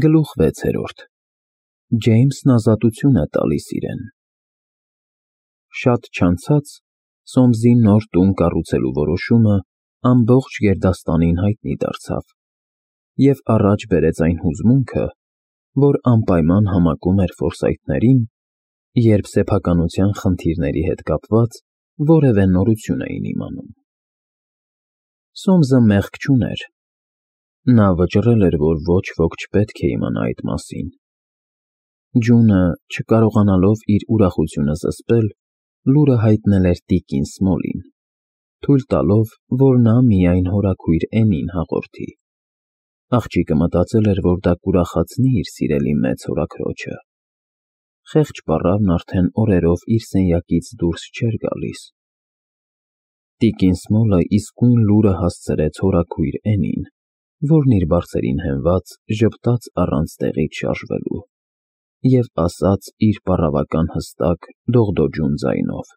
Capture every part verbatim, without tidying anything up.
Գլուխ վեցերորդ Ջեյմսն ազատություն է տալիս իրեն։ Շատ չանցած Սոմսի նոր տուն կառուցելու որոշումը ամբողջ գերդաստանին հայտնի դարձավ և առաջ բերեց այն հուզմունքը, որ անպայման համակում էր Ֆորսայթներին, երբ սեփականության խնդիրների հետ կապված որևէ նորություն էին իմանում։ Սոմսը մեղք չուներ։ Նա վճռել էր, որ ոչ ոք չպետք է իմանա այդ մասին։ Ջունը, չկարողանալով իր ուրախությունը զսպել, լուրը հայտնել էր տիկին Սմոլին, թույլ տալով, որ նա միայն հորաքույր Էնին հաղորդի։ Աղջիկը մտածել էր, որ դա կուրախացնի իր սիրելի մեծ հորաքրոջը։ Խեղճ պառավն արդեն օրերով իր սենյակից դուրս չէր գալիս։ Տիկին Սմոլը իսկույն լուրը հասցրեց հորաքույր Էնին, որն իր բարձերին հենված ժպտաց առանց տեղից շարժվելու և ասաց իր պառավական հստակ, դողդոջուն ձայնով.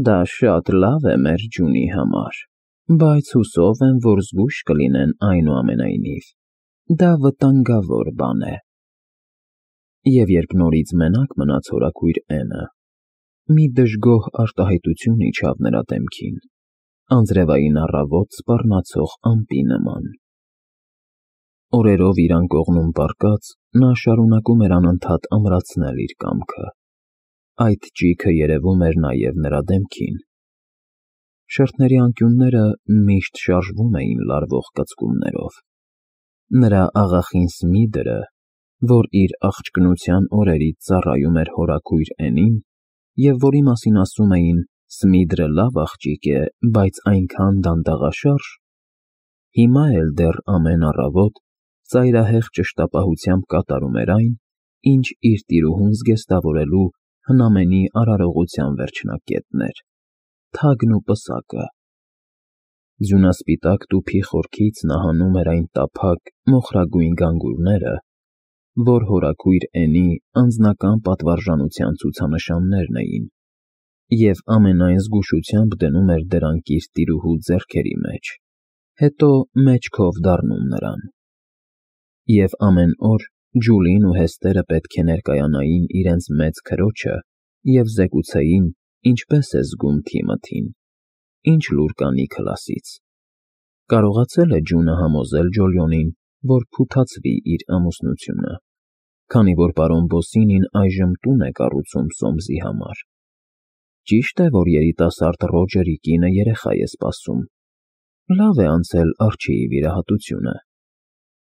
«Դա շատ լավ է մեր Ջունի համար, բայց հուսով եմ, որ զգույշ կլինեն այնուամենայնիվ, դա վտանգավոր բան է»։ Եվ երբ նորից մենակ մնաց հորաքույր Էնը, մի դժգոհ արտահայտություն իջավ նրա դեմքին, անձրևային առավոտ սպառնացող ամպի նման։ Օրերով իր անկողնում պառկած՝ նա շարունակում էր անընդհատ ամրացնել իր կամքը։ Այդ ճիգը երևում էր նաև նրա դեմքին։ Շրթների անկյունները միշտ շարժվում էին լարվող կծկումներով։ Նրա աղախին Սմիդրը, որ իր աղջկնության օրերից ծառայում էր հորաքույր Էնին և որի մասին ասում էին «Սմիդրը լավ աղջիկ է, բայց այնքան դանդաղաշարժ», հիմա էլ դեռ ամեն առավոտ ծայրահեղ ճշտապահությամբ կատարում էր այն, ինչ իր տիրուհուն զգեստավորելու հնամենի արարողության վերջնակետն էր՝ թագն ու պսակը։ Ձյունասպիտակ տուփի խորքից նա հանում էր այն տափակ, մոխրագույն գանգուրները, որ հորաքույր Էնի անձնական պատվարժանության ցուցանշաններն էին, և ամենայն զգուշությամբ դնում էր դրանք իր տիրուհու ձեռքերի մեջ, հետո մեջքով դառնում նրան։ Եվ ամեն օր Ջուլին ու Հեստերը պետք է ներկայանային իրենց մեծ քրոջը և զեկուցեին, ինչպես է զգում Թիմոթին, ինչ լուր կա Նիքլասից։ Կարողացել է Ջունը համոզել Ջոլիոնին, որ փութացվի իր ամուսնությունը, քանի որ պարոն Բոսինին այժմ տուն է կառուցում Սոմսի համար։ Ճիշտ է, որ երիտասարդ Ռոջերի կինը երեխա է սպասում։ Լավ է անցել Արչիի վիրահատությունը։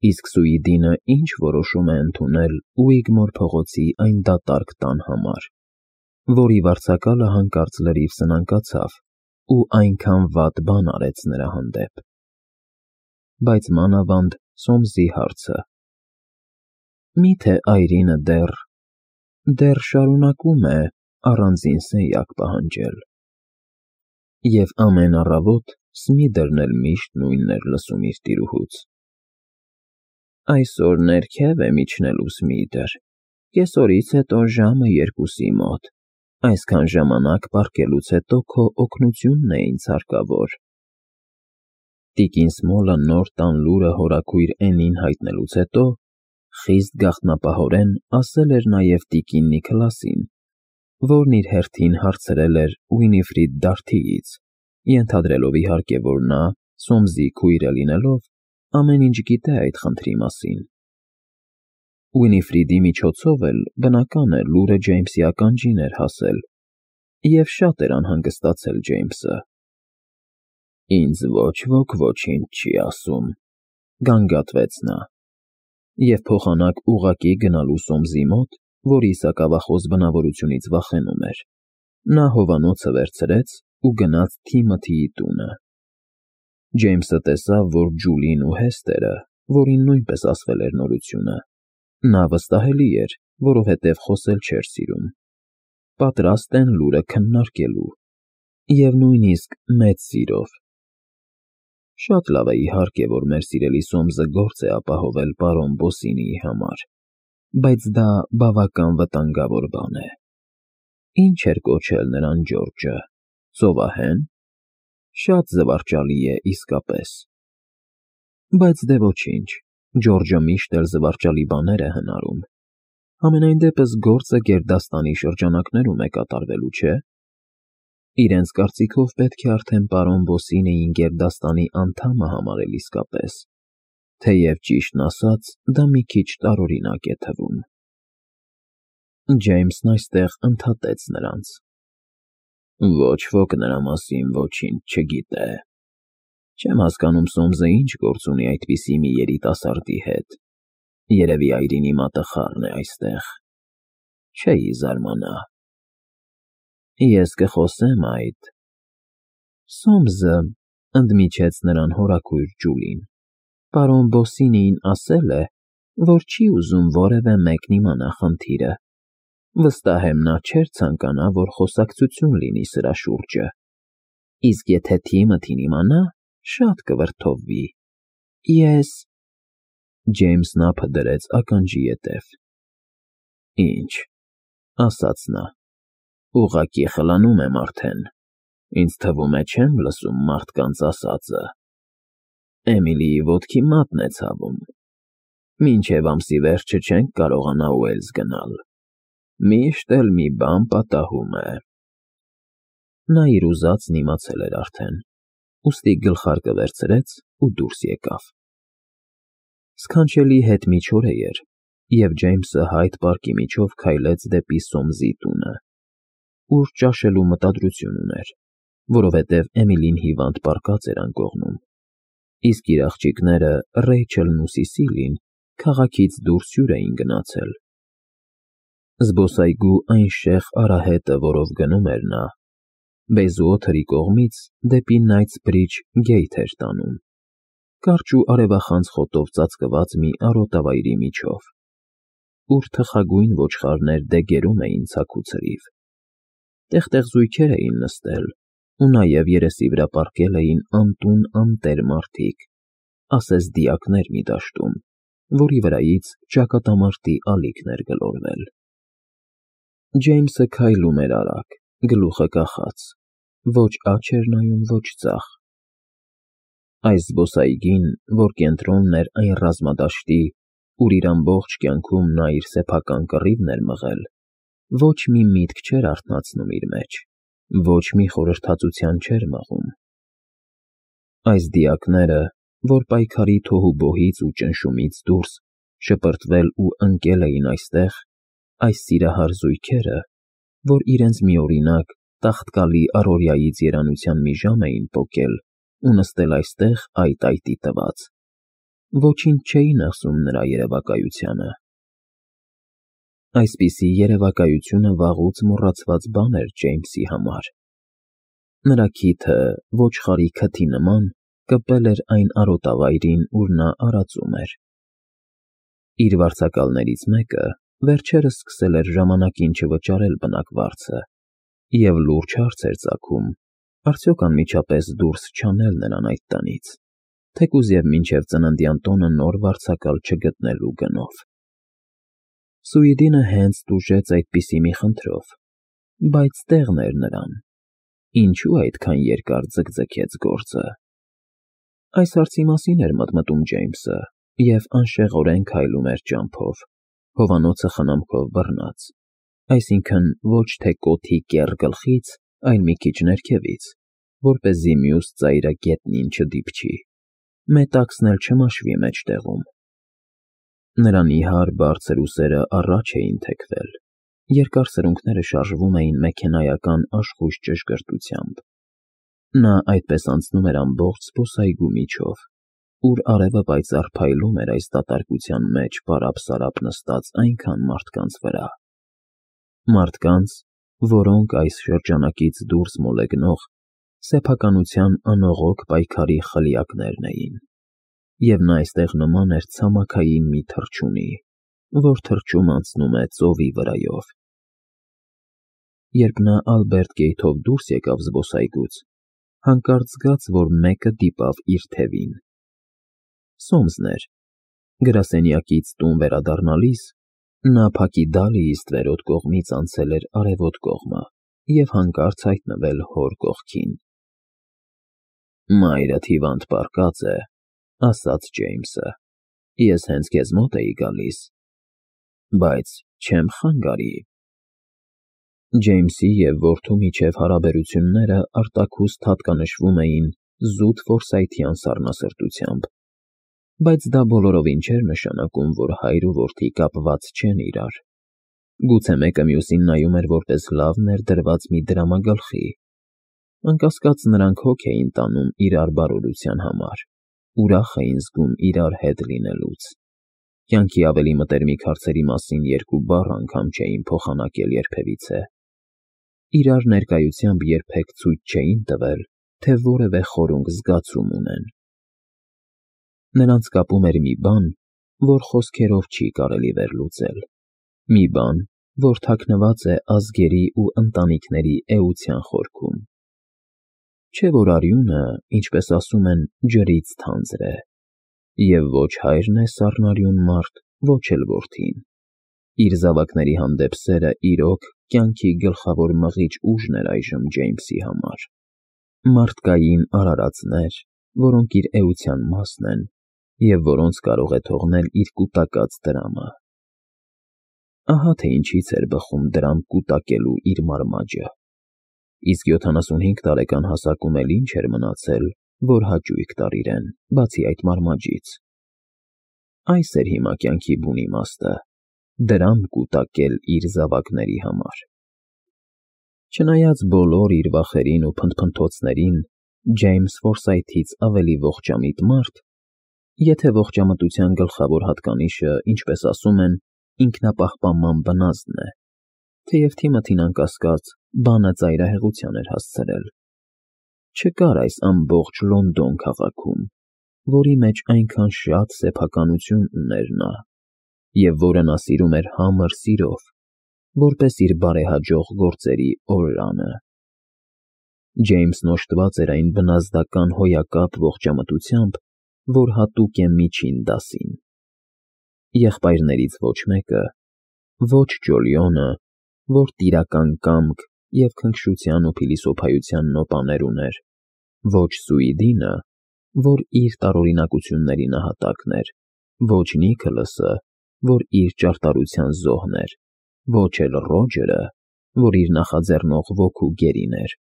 Իսկ Սուիդինը ինչ որոշում է ընդունել Ուիգմոր փողոցի այն դատարկ տան համար, որի վարձակալը հանկարծ լրիվ սնանկացավ ու այնքան վատ բան արեց նրա հանդեպ։ Բայց մանավանդ Սոմսի հարցը։ Մի՞թե այրինը դեռ… դեռ շարունակում է առանձին սենյակ պահանջել։ Եվ ամեն առավոտ Սմիդրն էլ միշտ նույնն էր լսում իր տիրուհուց. «Այսօր ներքև եմ իջնելու, Սմիդր, կեսօրից հետո ժամը երկուսի մոտ, այսքան ժամանակ պառկելուց հետո քո օգնությունն է ինձ հարկավոր»։ Տիկին Սմոլը նոր տան լուրը հորաքույր Էնին հայտնելուց հետո խիստ գաղտնապահորեն ասել էր նաև տիկին Նիքլասին, որն իր հերթին հարցրել էր Ուինիֆրիդ Դարթիից, ենթադրելով իհարկե, որ նա, Սոմսի քույրը լինելով, ամեն ինչ գիտե այդ խնդրի մասին։ Ուինիֆրիդի միջոցով էլ, բնական է, լուրը Ջեյմսի ականջին էր հասել, և շատ էր անհանգստացել Ջեյմսը։ «Ինձ ոչ ոք ոչինչ չի ասում», գանգատվեց նա, և փոխանակ ուղղակի գնալու Սոմսի մոտ, որի սակավախոս բնավորությունից վախենում էր, նա հովանոցը վերցրեց ու գնաց Թիմոթիի տունը։ Ջեյմսը տեսավ, որ Ջուլին ու Հեստերը, որին նույնպես ասվել էր նորությունը, նա վստահելի էր, որովհետև խոսել չէր սիրում, պատրաստ են լուրը քննարկելու, և նույնիսկ մեծ սիրով։ Շատ լավ է, իհարկե, որ մեր սիրելի Սոմսը գործ է ապահովել պարոն Բոսինիի համար, բայց դա բավական վտանգավոր բան է։ Ինչ էր կոչել նրան Ջորջը, ծովահե՞ն։ Շատ զվարճալի է իսկապես։ Բայց դե ոչինչ, Ջորջը միշտ էլ զվարճալի բաներ է հնարում։ Համենայն դեպս գործը գերդաստանի շրջանակներում է կատարվելու, չէ՞։ Իրենց կարծիքով պետք է արդեն պարոն Բոսինեին գերդաստանի անդամը համարել իսկապես, թեև ճիշտն ասած, դա մի քիչ տարօրինակ է թվում։ Ջեյմսն այստեղ ընդհատեց նրանց. Ոչ ոք նրա մասին ոչինչ չգիտե։ Չեմ հասկանում Սոմսը ինչ գործ ունի այդպիսի մի երիտասարդի հետ։ Երևի այրինի մատը խառն է այստեղ։ Չէի զարմանա։ Ես կխոսեմ այդ։ Սոմսը, ընդմիջեց նրան հորաքույր Ջուլին, պարոն Բոսինեին ասել է, որ չի ուզում որևէ մեկն իմանա խնդիրը։ Վստահ եմ, նա չէր ցանկանա, որ խոսակցություն լինի սրա շուրջը։ Իսկ եթե Թիմոթին իմանա, շատ կվրդովվի։ Ես… Ջեյմսն ափը դրեց ականջի ետև։ Ինչ, ասաց նա, ուղղակի խլանում եմ արդեն։ Ինձ թվում է չեմ լսում մարդկանց ասածը։ Էմիլիի ոտքի մատն է ցավում։ Մինչև ամսի վերջը չենք կարողանա Ուելս գնալ։ Միշտ էլ մի բան պատահում է։ Նա իր ուզածն իմացել էր արդեն, ուստի գլխարկը վերցրեց ու դուրս եկավ։ Սքանչելի հետմիջօրե էր, և Ջեյմսը Հայդ պարկի միջով քայլեց դեպի Սոմսի տունը, ուր ճաշելու մտադրություն ուներ, որովհետև Էմիլին հիվանդ պառկած էր անկողնում, իսկ իր աղջիկները Ռեյչելն ու Սիսիլին քաղաքից դուրս հյուր էին գնացել։ Զբոսայգու այն շեղ արահետը, որով գնում էր նա, Բեյզուոթերի կողմից դեպի Նայթսբրիջ գեյթ էր տանում, կարճ ու արևախանձ խոտով ծածկված մի արոտավայրի միջով, ուր թխագույն ոչխարներ դեգերում էին ցաքուցրիվ։ Տեղ֊տեղ զույգեր էին նստել, ու նաև երեսի վրա պառկել էին անտուն անտեր մարդիկ, ասես դիակներ մի դաշտում, որի վրայից ճակատամարտի ալիքն էր գլորվել։ Ջեյմսը քայլում էր արագ, գլուխը կախած, ոչ աջ էր նայում, ոչ ձախ։ Այս զբոսայգին, որ կենտրոնն էր այն ռազմադաշտի, ուր իր ամբողջ կյանքում նա իր սեփական կռիվն էր մղել, ոչ մի միտք չէր արթնացնում իր մեջ, ոչ մի խորհրդածության չէր մղում։ Այս դիակները, որ պայքարի թոհուբոհից ու ճնշումից դուրս շպրտվել ու ընկել էին այստեղ, այս սիրահար զույգերը, որ իրենց միօրինակ, տաղտկալի առօրյայից երանության մի ժամ էին պոկել ու նստել այստեղ այտ-այտի տված, ոչինչ չէին ասում նրա երևակայությանը։ Այսպիսի երևակայությունը վաղուց մոռացված բան էր Ջեյմսի համար։ Նրա քիթը, ոչխարի քթի նման, կպել էր այն արոտավայրին, ուր նա արածում էր։ Իր վարձակալներից մեկը վերջերս սկսել էր ժամանակին չվճարել բնակվարձը և լուրջ հարց էր ծագում, արդյոք անմիջապես դուրս չանել նրան այդ տնից, թեկուզ և մինչև ծննդյան տոնը նոր վարձակալ չգտնելու գնով։ Սուիդինը հենց տուժեց այդպիսի մի խնդրով, բայց տեղն էր նրան, ինչու այդքան երկար ձգձգեց գործը։ Այս հարցի մասին էր մտմտում Ջեյմսը և անշեղորեն քայլում էր ճամփով, հովանոցը խնամքով բռնած, այսինքն ոչ թե կոթի կեռ գլխից, այլ մի քիչ ներքևից, որպեսզի մյուս ծայրը գետնին չդիպչի, մետաքսն էլ չմաշվի մեջտեղում։ Նրա նիհար բարձր ուսերը առաջ էին թեքվել, երկար սրունքները շարժվում էին մեքենայական աշխույժ ճշգրտությամբ։ Նա այդպես անցնում էր ամբողջ զբոսայգու միջով, ուր արևը պայծառ փայլում էր այս դատարկության մեջ պարապ-սարապ նստած այնքան մարդկանց վրա։ Մարդկանց, որոնք այս շրջանակից դուրս մոլեգնող, սեփականության անողոք պայքարի խլյակներն էին, և նա այստեղ նման էր ցամաքային մի թռչունի, որ թռչում անցնում է ծովի վրայով։ Երբ նա Ալբերտ գեյթով դուրս եկավ զբոսայգուց, հանկարծ զգաց, որ մեկը դիպավ իր թևին։ Սոմսն էր։ Գրասենյակից տուն վերադառնալիս նա փակի դալիի ստվերոտ կողմից անցել էր արևոտ կողմը և հանկարծ հայտնվել հոր կողքին։ Մայրդ հիվանդ պառկած է, ասաց Ջեյմսը։ Ես հենց քեզ մոտ էի գալիս, բայց չեմ խանգարի։ Ջեյմսի և որդու միջև հարաբերությունները արտաքուստ հատկանշվում էին զուտ ֆորսայթյան սառնասրտությամբ, բայց դա բոլորովին չէր նշանակում, որ հայր ու որդի կապված չեն իրար։ Գուցե մեկը մյուսին նայում էր որպես լավ ներդրված մի դրամագլխի։ Անկասկած նրանք հոգ էին տանում իրար բարօրության համար, ուրախ էին զգում իրար հետ լինելուց։ Կյանքի ավելի մտերմիկ հարցերի մասին երկու բառ անգամ չէին փոխանակել երբևիցե։ Իրար ներկայությամբ երբեք ցույց չէին տվել, թե որևէ խորունկ զգացում ունեն։ Նրանց կապում էր մի բան, որ խոսքերով չի կարելի վերլուծել, մի բան, որ թաքնված է ազգերի ու ընտանիքների էության խորքում։ Չէ՞ որ արյունը, ինչպես ասում են, ջրից թանձր է, և ոչ հայրն է սառնարյուն մարդ, ոչ էլ որդին։ Իր զավակների հանդեպ սերը իրոք կյանքի գլխավոր մղիչ ուժն էր այժմ Ջեյմսի համար։ Մարդկային արարածներ, որոնք իր էության մասն են և որոնց կարող է թողնել իր կուտակած դրամը։ Ահա թե ինչից էր բխում դրամ կուտակելու իր մարմաճը։ Իսկ յոթանասունհինգ տարեկան հասակում էլ ինչ էր մնացել, որ հաճույք տար իրեն, բացի այդ մարմաճից։ Այս էր հիմա կյանքի բուն իմաստը՝ դրամ կուտակել իր զավակների համար։ Չնայած բոլոր իր վախերին ու փնթփնթոցներին, Ջեյմս Ֆորսայթից ավելի ողջամիտ մարդ, եթե ողջամտության գլխավոր հատկանիշը, ինչպես ասում են, ինքնապահպանման բնազդն է, թեև Թիմոթին անկասկած բանը ծայրահեղության էր հասցրել։ Չկար այս ամբողջ Լոնդոն քաղաքում, որի մեջ այնքան շատ սեփականություն ուներ նա, և որը նա սիրում էր համր սիրով, որպես իր բարեհաջող գործերի օրրանը։ Ջեյմսն օժտված էր այն բնազդական հոյակապ ողջամտությամբ, որ հատուկ է միջին դասին։ Եղբայրներից ոչ մեկը, ոչ Ջոլիոնը, որ տիրական կամք և քնքշության ու փիլիսոփայության նոպաներ ուներ, ոչ Սուիդինը, որ իր տարօրինակությունների նահատակն էր, ոչ Նիքոլասը, որ իր ճարտարության զոհն էր, ոչ էլ Ռոջերը, որ իր նախաձեռնող ոգու գերին էր։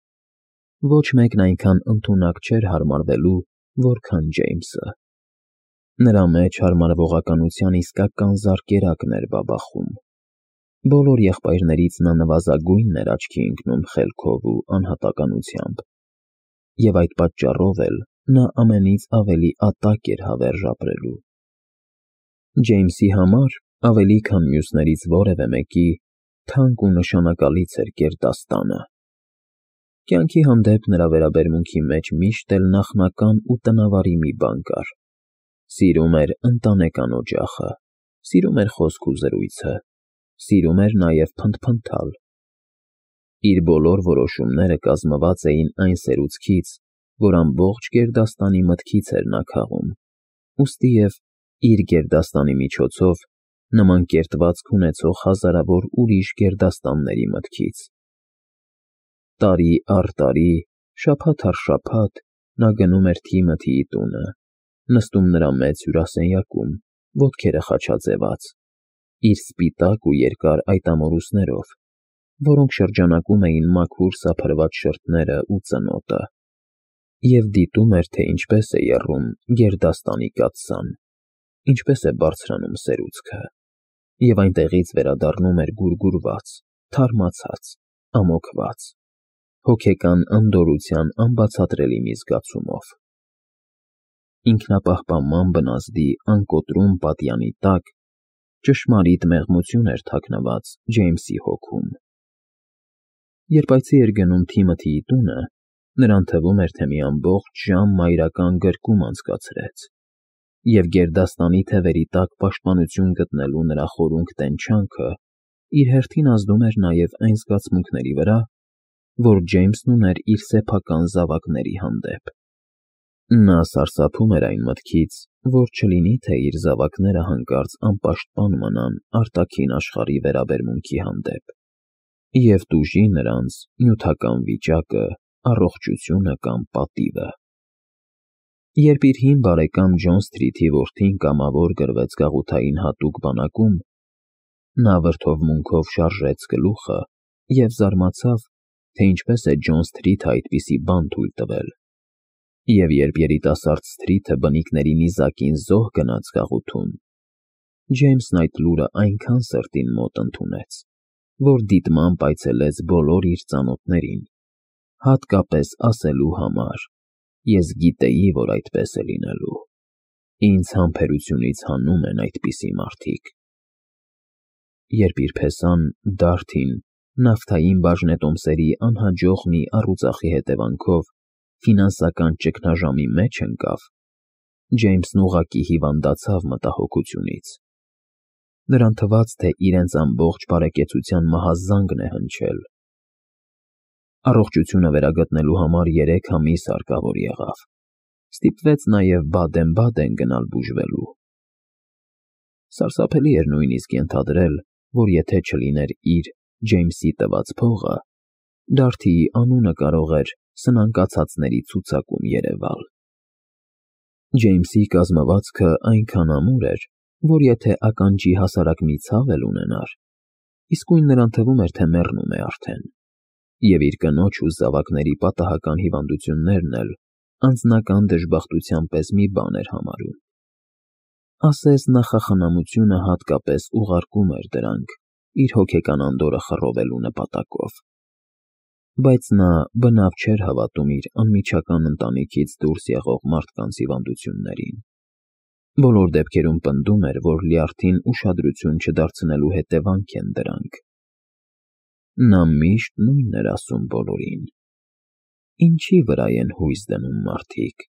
Ոչ մեկն այնքան ընդունակ չէր հարմարվելու, որքան Ջեյմսը։ Նրա մեջ հարմարվողականության իսկական զարկերակն էր բաբախում։ Բոլոր եղբայրներից նա նվազագույնն էր աչքի ընկնում խելքով ու անհատականությամբ, և այդ պատճառով էլ նա ամենից ավելի ատակ էր հավերժ ապրելու։ Ջեյմսի համար, ավելի քան մյուսներից որևէ մեկի, թանկ ու նշանակալից էր գերդաստանը։ Կյանքի հանդեպ նրա վերաբերմունքի մեջ միշտ էլ նախնական ու տնավարի մի բան կար. սիրում էր ընտանեկան օջախը, սիրում էր խոսք ու զրույցը, սիրում էր նաև փնթփնթալ։ Իր բոլոր որոշումները կազմված էին այն սերուցքից, որ ամբողջ գերդաստանի մտքից էր նա քաղում, ուստիև իր գերդաստանի միջոցով նման կերտվածք ունեցող հազարավոր ուրիշ գերդաստանների մտքից։ Տարի առ տարի, շաբաթ առ շաբաթ նա գնում էր Թիմոթիի տունը, նստում նրա մեծ հյուրասենյակում, ոտքերը խաչաձևած, իր սպիտակ ու երկար այտամորուսներով, որոնք շրջանակում էին մաքուր սափրված շրթները ու ծնոտը, և դիտում էր, թե ինչպես է եռում գերդաստանի կաթսան, ինչպես է բարձրանում սերուցքը, և այնտեղից վերադառնում էր գուրգուրված, թարմացած, ամոքված, հոգեկան անդորրության անբացատրելի մի զգացումով։ Ինքնապահպանման բնազդի անկոտրում պատյանի տակ ճշմարիտ մեղմություն էր թաքնված Ջեյմսի հոգում։ Երբ այցի էր գնում Թիմոթիի տունը, նրան թվում էր, թե մի ամբողջ ժամ մայրական գրկում անցկացրեց, և գերդաստանի թևերի տակ պաշտպանություն գտնելու նրա խորունկ տենչանքը իր հերթին ազդում էր նաև այն զգացմունքների վրա, որ Ջեյմսն ուներ իր սեփական զավակների հանդեպ։ Նա սարսափում էր այն մտքից, որ չլինի թե իր զավակները հանկարծ անպաշտպան մնան արտաքին աշխարհի վերաբերմունքի հանդեպ և տուժի նրանց նյութական վիճակը, առողջությունը կամ պատիվը։ Երբ իր հին բարեկամ Ջոն Սթրիթի որդին կամավոր գրվեց գաղութային հատուկ բանակում, նա վրդովմունքով շարժեց գլուխը և զարմացավ, թե ինչպես է Ջոն Սթրիթը այդպիսի բան թույլ տվել, և երբ երիտասարդ Սթրիթը բնիկների նիզակին զոհ գնաց գաղութում, Ջեյմսն այդ լուրը այնքան սրտին մոտ ընդունեց, որ դիտմամբ այցելեց բոլոր իր ծանոթներին, հատկապես ասելու համար. «Ես գիտեի, որ այդպես է լինելու, ինձ համբերությունից հանում են այդպիսի մարդիկ»։ Երբ իր փեսան Դարթին նավթային բաժնետոմսերի անհաջող մի առուծախի հետևանքով ֆինանսական ճգնաժամի մեջ ընկավ, Ջեյմսն ուղղակի հիվանդացավ մտահոգությունից։ Նրան թվաց, թե իրենց ամբողջ բարեկեցության մահազանգն է հնչել։ Առողջությունը վերագտնելու համար երեք ամիս հարկավոր եղավ։ Ստիպվեց նաև Բադեն-Բադեն գնալ բուժվելու։ Սարսափելի էր նույնիսկ ենթադրել, որ եթե չլիներ իր՝ Ջեյմսի տված փողը, Դարթիի անունը կարող էր սնանկացածների ցուցակում երևալ։ Ջեյմսի կազմվածքը այնքան ամուր էր, որ եթե ականջի հասարակ մի ցավ էլ ունենար, իսկույն նրան թվում էր, թե մեռնում է արդեն, և իր կնոջ ու զավակների պատահական հիվանդություններն էլ անձնական դժբախտության պես մի բան էր համարում։ Ասես նախախնամությունը հատկապես ուղարկում էր դրանք իր հոգեկան անդորրը խռովելու նպատակով։ Բայց նա բնավ չէր հավատում իր անմիջական ընտանիքից դուրս եղող մարդկանց հիվանդություններին։ Բոլոր դեպքերում պնդում էր, որ լյարդին ուշադրություն չդարձնելու հետևանք են դրանք։ Նա միշտ նույնն էր ասում բոլորին. «Ինչի վրա են հույս դնում մարդիկ,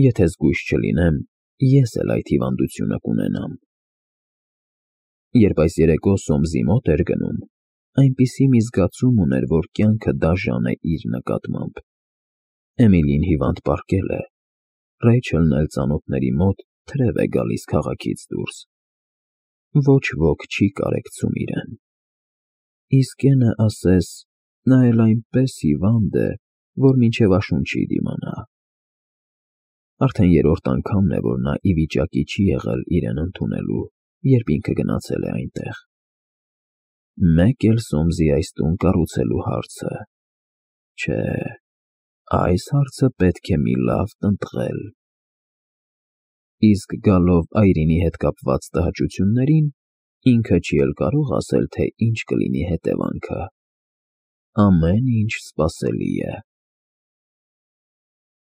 եթե զգույշ չլինեմ, ես էլ այդ հիվանդությունը կունենամ»։ Երբ այս երեկո Սոմսի մոտ էր գնում, այնպիսի մի զգացում ուներ, որ կյանքը դաժան է իր նկատմամբ։ Էմիլին հիվանդ պառկել է, Ռեյչելն էլ ծանոթների մոտ թրև է գալիս քաղաքից դուրս։ Ոչ ոք չի կարեկցում իրեն։ Իսկ Էնը ասես, նա էլ այնպես հիվանդ է, որ մինչև աշուն չի դիմանա։ Արդեն երրորդ անգամն է, որ նա ի վիճակի չի եղել իրեն ընդունելու, երբ ինքը գնացել է այնտեղ։ Մեկ էլ Սոմսի այս տուն կառուցելու հարցը։ Չէ, այս հարցը պետք է մի լավ տնտղել։ Իսկ գալով Այրինի հետ կապված տհաճություններին, ինքը չի էլ կարող ասել, թե ինչ կլինի հետևանքը։ Ամեն ինչ սպասելի է։